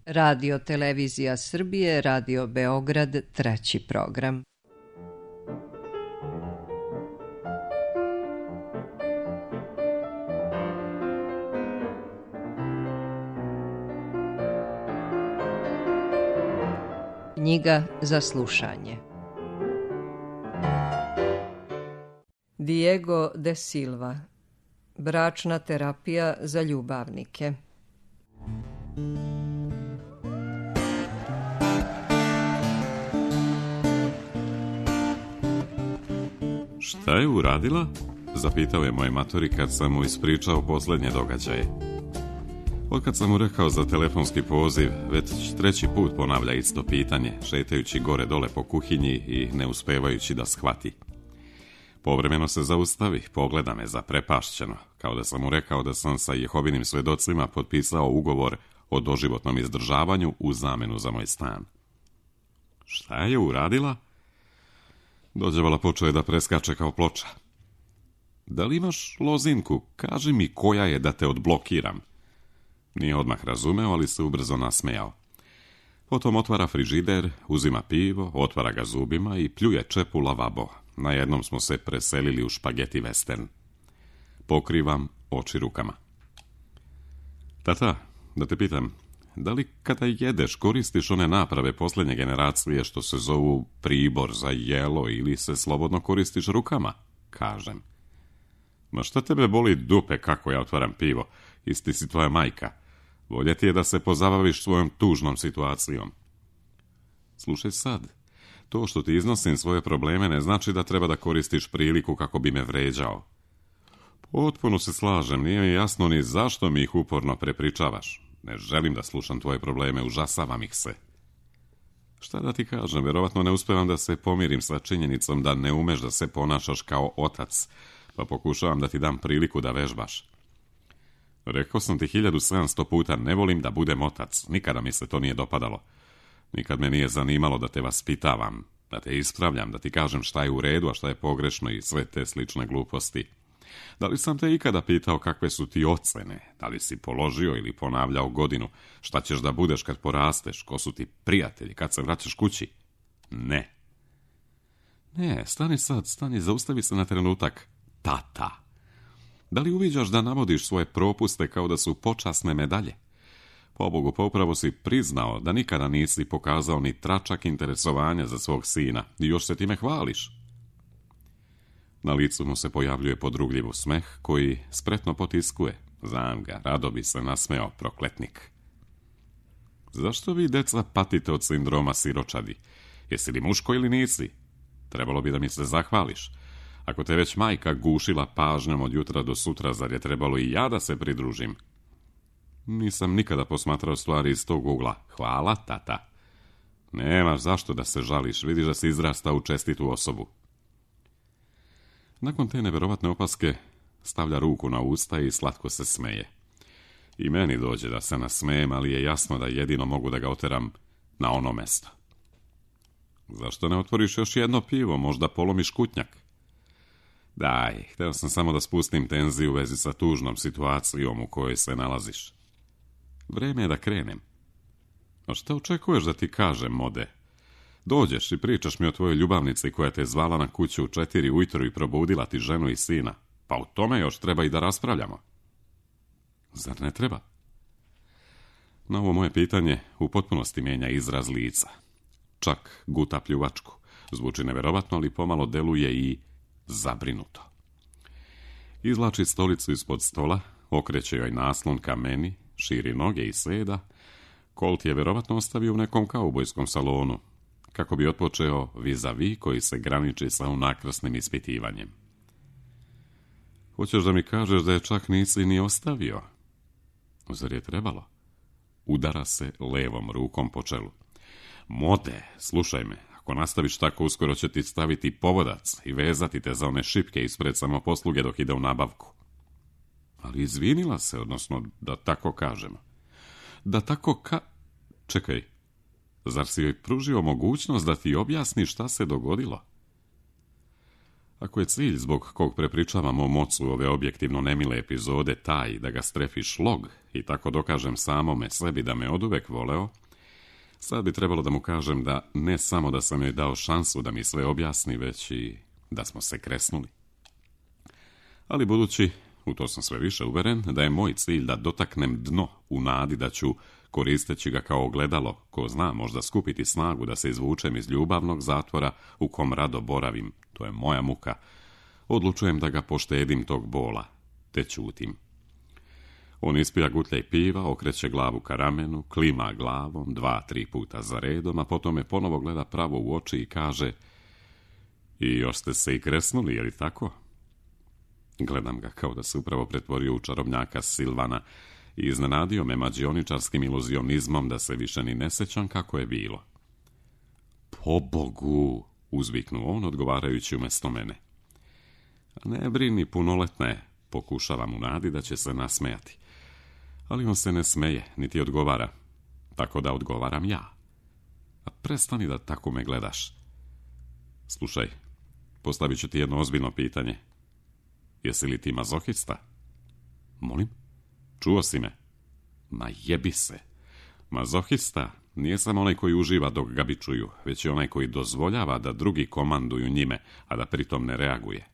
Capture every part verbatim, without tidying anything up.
Radio Televizija Srbije, Radio Beograd, treći program. Knjiga za slušanje. Diego de Silva. Bračna terapija za ljubavnike. Šta je uradila? Zapitao je moj matori kad sam mu ispričao posljednje događaje. Otkad sam mu rekao za telefonski poziv, već treći put ponavlja isto pitanje, šetajući gore dole po kuhinji i ne uspevajući da shvati. Povremeno se zaustavi, pogleda me zaprepašćeno, kao da sam mu rekao da sam sa Jehovinim svedocima potpisao ugovor o doživotnom izdržavanju u zamenu za moj stan. Šta je uradila? Dođevala počeo je da preskače kao ploča. Da li imaš lozinku? Kaži mi koja je da te odblokiram. Nije odmah razumeo, ali se ubrzo nasmejao. Potom otvara frižider, uzima pivo, otvara ga zubima i pljuje čep u lavabo. Na jednom smo se preselili u špageti western. Pokrivam oči rukama. Tata, da te pitam, da li kada jedeš koristiš one naprave posljednje generacije što se zovu pribor za jelo ili se slobodno koristiš rukama? Kažem. Ma šta tebe boli dupe kako ja otvaram pivo? Isti si tvoja majka. Bolje ti je da se pozabaviš svojom tužnom situacijom. Slušaj sad, to što ti iznosim svoje probleme ne znači da treba da koristiš priliku kako bi me vređao. Potpuno se slažem, nije mi jasno ni zašto mi ih uporno prepričavaš. Ne želim da slušam tvoje probleme, užasavam ih se. Šta da ti kažem, vjerovatno ne uspevam da se pomirim sa činjenicom da ne umeš da se ponašaš kao otac, pa pokušavam da ti dam priliku da vežbaš. Rekao sam ti hiljadu sedamsto puta, ne volim da budem otac, nikada mi se to nije dopadalo. Nikad me nije zanimalo da te vaspitavam, da te ispravljam, da ti kažem šta je u redu, a šta je pogrešno i sve te slične gluposti. Da li sam te ikada pitao kakve su ti ocene, da li si položio ili ponavljao godinu, šta ćeš da budeš kad porasteš, ko su ti prijatelji, kad se vraćaš kući? Ne. Ne, stani sad, stani, zaustavi se na trenutak. Tata. Da li uviđaš da navodiš svoje propuste kao da su počasne medalje? Pobogu, pa upravo si priznao da nikada nisi pokazao ni tračak interesovanja za svog sina i još se time hvališ. Na licu mu se pojavljuje podrugljiv smeh koji spretno potiskuje. Znam ga, rado bi se nasmeo, prokletnik. Zašto vi, deca, patite od sindroma siročadi? Jesi li muško ili nisi? Trebalo bi da mi se zahvališ. Ako te već majka gušila pažnjom od jutra do sutra, zar je trebalo i ja da se pridružim? Nisam nikada posmatrao stvari iz tog ugla. Hvala, tata. Nemaš zašto da se žališ, vidiš da si izrastao u čestitu osobu. Nakon te neverovatne opaske stavlja ruku na usta i slatko se smeje. I meni dođe da se nasmejem, ali je jasno da jedino mogu da ga oteram na ono mesto. Zašto ne otvoriš još jedno pivo, možda polomiš kutnjak? Daj, hteo sam samo da spustim tenziju u vezi sa tužnom situacijom u kojoj se nalaziš. Vreme je da krenem. A šta očekuješ da ti kažem, Mode? Dođeš i pričaš mi o tvojoj ljubavnici koja te zvala na kuću u četiri ujutro i probudila ti ženu i sina. Pa o tome još treba i da raspravljamo. Zar ne treba? Na ovo moje pitanje u potpunosti mijenja izraz lica. Čak guta pljuvačku. Zvuči neverovatno, ali pomalo deluje i zabrinuto. Izvlači stolicu ispod stola, okreće joj naslon ka meni, širi noge i seda. Colt je verovatno ostavio u nekom kaubojskom salonu, kako bi otpočeo vis-a-vis koji se graniči sa unakrasnim ispitivanjem. Hoćeš da mi kažeš da je čak nisi ni ostavio? Zar je trebalo? Udara se levom rukom po čelu. Mode, slušaj me, ako nastaviš tako, uskoro će ti staviti povodac i vezati te za one šipke ispred samoposluge dok ide u nabavku. Ali izvinila se, odnosno da tako kažemo. Da tako ka... Čekaj, zar si joj pružio mogućnost da ti objasni šta se dogodilo? Ako je cilj zbog kog prepričavam o mocu ove objektivno nemile epizode taj da ga strefi šlog i tako dokažem samome sebi da me oduvek voleo, sad bi trebalo da mu kažem da ne samo da sam joj dao šansu da mi sve objasni, već i da smo se kresnuli. Ali budući, u to sam sve više uveren, da je moj cilj da dotaknem dno u nadi da ću, koristeći ga kao ogledalo, ko zna, možda skupiti snagu da se izvučem iz ljubavnog zatvora u kom rado boravim, to je moja muka, odlučujem da ga poštedim tog bola, te ćutim. On ispija gutljaj piva, okreće glavu ka ramenu, klima glavom dva, tri puta za redom, a potom me ponovo gleda pravo u oči i kaže: i još ste se i kresnuli, je li tako? Gledam ga kao da se upravo pretvorio u čarobnjaka Silvana i iznenadio me mađioničarskim iluzionizmom da se više ni ne sećam kako je bilo. Pobogu, uzviknuo on odgovarajući umjesto mene. Ne brini, punoletna je, pokušavam u nadi da će se nasmejati. Ali on se ne smeje, niti odgovara, tako da odgovaram ja. A prestani da tako me gledaš. Slušaj, postavit ću ti jedno ozbiljno pitanje. Jesi li ti mazohista? Molim? Čuo si me? Ma jebi se. Mazohista nije samo onaj koji uživa dok ga bičuju, već i onaj koji dozvoljava da drugi komanduju njime, a da pritom ne reaguje.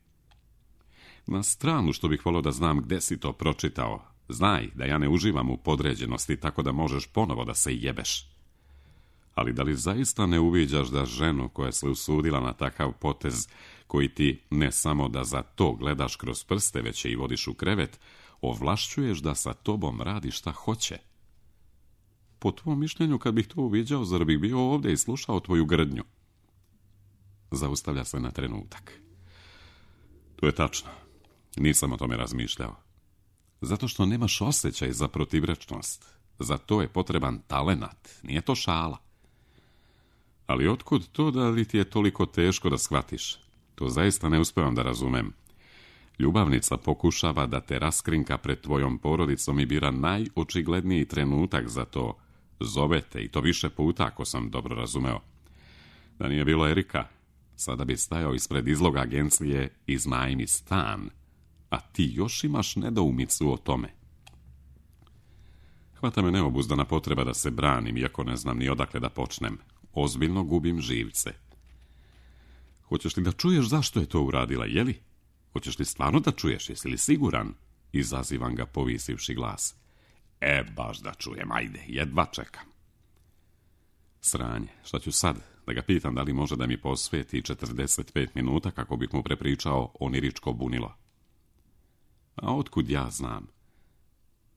Na stranu što bih volio da znam gde si to pročitao. Znaj da ja ne uživam u podređenosti, tako da možeš ponovo da se jebeš. Ali da li zaista ne uviđaš da ženu koja se usudila na takav potez, koji ti ne samo da za to gledaš kroz prste, već je i vodiš u krevet, ovlašćuješ da sa tobom radi šta hoće? Po tvom mišljenju, kad bih to uviđao, zar bih bio ovdje i slušao tvoju grdnju? Zaustavlja se na trenutak. To je tačno. Nisam o tome razmišljao. Zato što nemaš osjećaj za protivrečnost. Za to je potreban talenat. Nije to šala. Ali otkud to da li ti je toliko teško da shvatiš? To zaista ne uspevam da razumem. Ljubavnica pokušava da te raskrinka pred tvojom porodicom i bira najočigledniji trenutak za to. Zove te i to više puta, ako sam dobro razumeo. Da nije bilo Erika, sada bi stajao ispred izloga agencije Iznajmi stan, a ti još imaš nedoumicu o tome. Hvata me neobuzdana potreba da se branim, iako ne znam ni odakle da počnem. Ozbiljno gubim živce. Hoćeš li da čuješ zašto je to uradila, jeli? Hoćeš li stvarno da čuješ, jesi li siguran? Izazivam ga povisivši glas. E, baš da čujem, ajde, jedva čekam. Sranje, šta ću sad? Da ga pitam da li može da mi posveti četrdeset pet minuta kako bih mu prepričao oniričko bunilo. A otkud ja znam?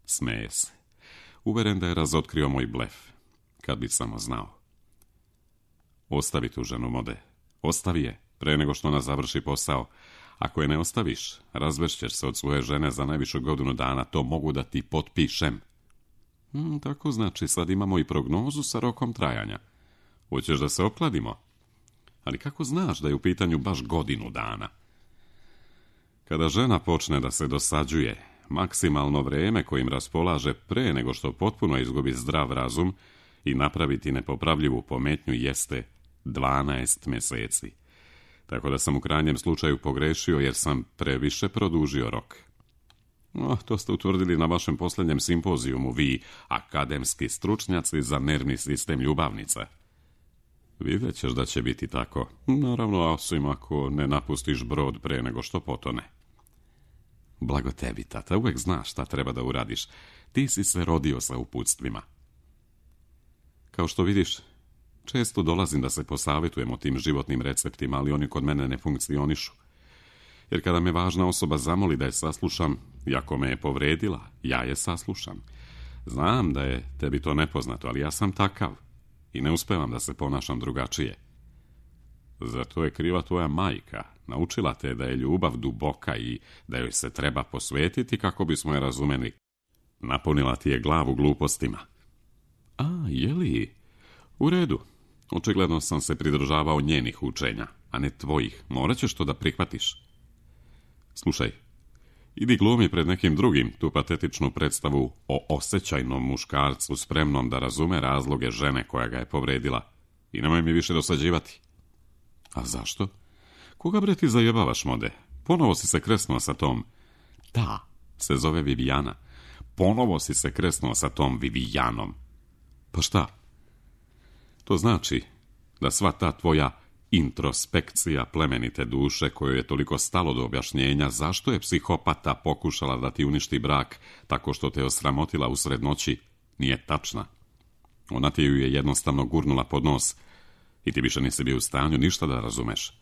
Smeje se. Uveren da je razotkrio moj blef. Kad bi samo znao. Ostavi tu ženu, Mode. Ostavi je, pre nego što ona završi posao. Ako je ne ostaviš, razvešćeš se od svoje žene za najviše godinu dana, to mogu da ti potpišem. Hmm, tako znači, sad imamo i prognozu sa rokom trajanja. Hoćeš da se opkladimo? Ali kako znaš da je u pitanju baš godinu dana? Kada žena počne da se dosađuje, maksimalno vreme kojim raspolaže pre nego što potpuno izgubi zdrav razum i napraviti nepopravljivu pometnju jeste dvanaest meseci. Tako da sam u krajnjem slučaju pogrešio jer sam previše produžio rok. No, to ste utvrdili na vašem posljednjem simpozijumu, vi, akademski stručnjaci za nervni sistem ljubavnica. Vidjet ćeš da će biti tako. Naravno, osim ako ne napustiš brod pre nego što potone. Blago tebi, tata, uvek znaš šta treba da uradiš. Ti si se rodio sa uputstvima. Kao što vidiš, često dolazim da se posavjetujem o tim životnim receptima, ali oni kod mene ne funkcionišu. Jer kada me važna osoba zamoli da je saslušam, iako me je povredila, ja je saslušam. Znam da je tebi to nepoznato, ali ja sam takav i ne uspevam da se ponašam drugačije. Zato je kriva tvoja majka. Naučila te da je ljubav duboka i da joj se treba posvetiti kako bismo je razumeli. Napunila ti je glavu glupostima. A, jeli? U redu. Očigledno sam se pridržavao njenih učenja, a ne tvojih. Morat ćeš to da prihvatiš. Slušaj, idi glumi pred nekim drugim tu patetičnu predstavu o osjećajnom muškarcu spremnom da razume razloge žene koja ga je povredila. I nemoj mi više dosađivati. A zašto? Koga bre ti zajebavaš, Mode? Ponovo si se kresnuo sa tom. Ta se zove Vivijana. Ponovo si se kresnuo sa tom Vivijanom. Pa šta? To znači da sva ta tvoja introspekcija plemenite duše, kojoj je toliko stalo do objašnjenja zašto je psihopata pokušala da ti uništi brak tako što te osramotila usred noći, nije tačna. Ona ti ju je jednostavno gurnula pod nos i ti više nisi bio u stanju ništa da razumeš.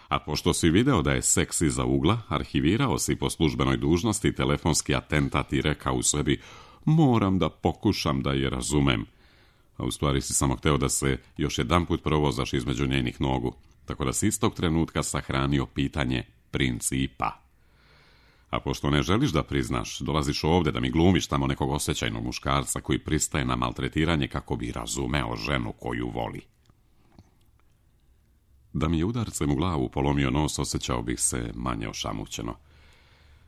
A pošto si video da je seks iza ugla, arhivirao si po službenoj dužnosti telefonski atentat i rekao u sebi: moram da pokušam da je razumem. A u stvari si samo hteo da se još jedanput provozaš između njenih nogu, tako da si istog trenutka sahranio pitanje principa. A pošto ne želiš da priznaš, dolaziš ovde da mi glumiš tamo nekog osjećajnog muškarca koji pristaje na maltretiranje kako bi razumeo ženu koju voli. Da mi je udarcem u glavu polomio nos, osjećao bih se manje ošamućeno.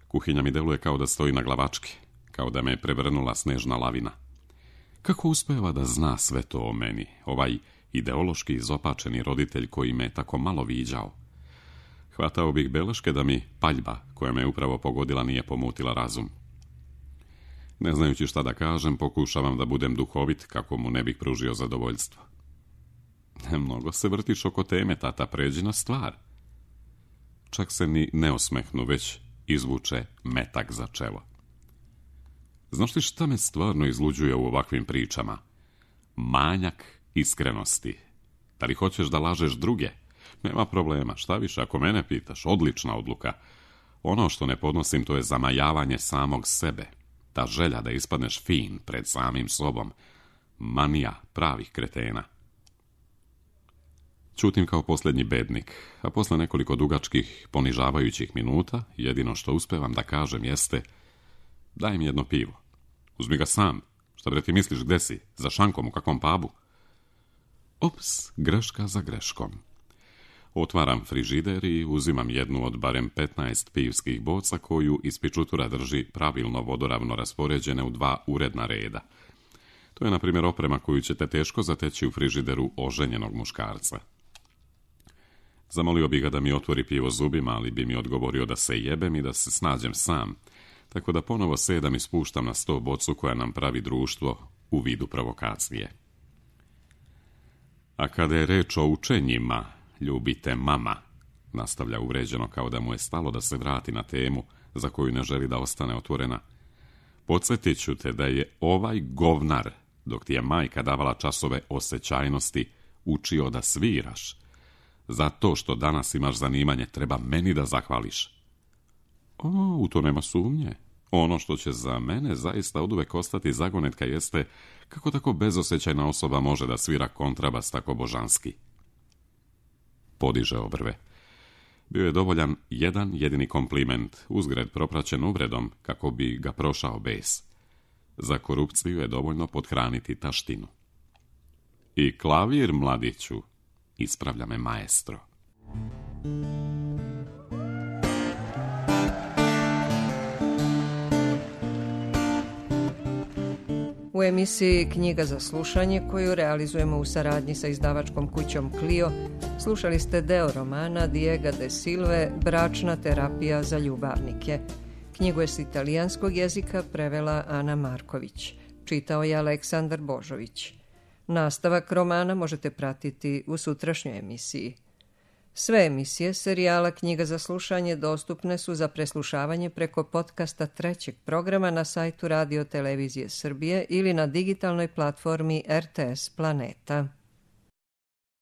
Kuhinja mi deluje kao da stoji na glavački, kao da me je prevrnula snežna lavina. Kako uspeva da zna sve to o meni, ovaj ideološki izopačeni roditelj koji me tako malo viđao? Hvatao bih beleške da mi paljba koja me upravo pogodila nije pomutila razum. Ne znajući šta da kažem, pokušavam da budem duhovit kako mu ne bih pružio zadovoljstvo. Mnogo se vrtiš oko teme, tata, pređi na stvar. Čak se ni ne osmehnu, već izvuče metak za čelo. Znaš li šta me stvarno izluđuje u ovakvim pričama? Manjak iskrenosti. Da li hoćeš da lažeš druge? Nema problema, šta više, ako mene pitaš, odlična odluka. Ono što ne podnosim, to je zamajavanje samog sebe. Ta želja da ispadneš fin pred samim sobom. Manija pravih kretena. Ćutim kao posljednji bednik, a posle nekoliko dugačkih, ponižavajućih minuta, jedino što uspevam da kažem jeste: daj mi jedno pivo. Uzmi ga sam. Šta bre ti misliš, gde si? Za šankom, u kakvom pubu? Ops, greška za greškom. Otvaram frižider i uzimam jednu od barem petnaest pivskih boca koju iz pičutura drži pravilno vodoravno raspoređene u dva uredna reda. To je, na primjer, oprema koju ćete teško zateći u frižideru oženjenog muškarca. Zamolio bi ga da mi otvori pivo zubima, ali bi mi odgovorio da se jebem i da se snađem sam, tako da ponovo sedam i spuštam na sto bocu koja nam pravi društvo u vidu provokacije. A kada je reč o učenjima, ljubite mama, nastavlja uvređeno kao da mu je stalo da se vrati na temu za koju ne želi da ostane otvorena. Podsjetit ću te da je ovaj govnar, dok ti je majka davala časove osjećajnosti, učio da sviraš. Zato što danas imaš zanimanje, treba meni da zahvališ. O, u to nema sumnje. Ono što će za mene zaista oduvek ostati zagonetka jeste kako tako bezosjećajna osoba može da svira kontrabas tako božanski. Podiže obrve. Bio je dovoljan jedan jedini kompliment, uzgred propraćen uvredom kako bi ga prošao bes. Za korupciju je dovoljno pothraniti taštinu. I klavir, mladiću, ispravlja me maestro. U emisiji Knjiga za slušanje, koju realizujemo u saradnji sa izdavačkom kućom Clio, slušali ste deo romana Diega de Silve Bračna terapija za ljubavnike. Knjigu je s italijanskog jezika prevela Ana Marković. Čitao je Aleksandar Božović. Nastavak romana možete pratiti u sutrašnjoj emisiji. Sve emisije serijala Knjiga za slušanje dostupne su za preslušavanje preko podcasta trećeg programa na sajtu Radio Televizije Srbije ili na digitalnoj platformi R T S Planeta.